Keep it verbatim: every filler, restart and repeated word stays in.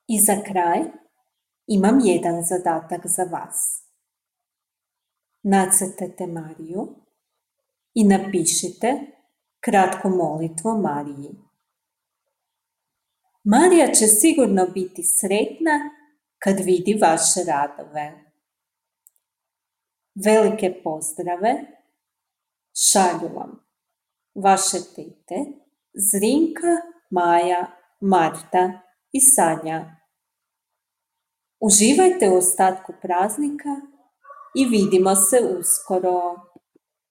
I za kraj imam jedan zadatak za vas. Nacrtajte Mariju i napišite kratku molitvu Mariji. Marija će sigurno biti sretna kad vidi vaše radove. Velike pozdrave šalju vam vaše tete Zrinka, Maja, Marta i Sanja. Uživajte u ostatku praznika i vidimo se uskoro.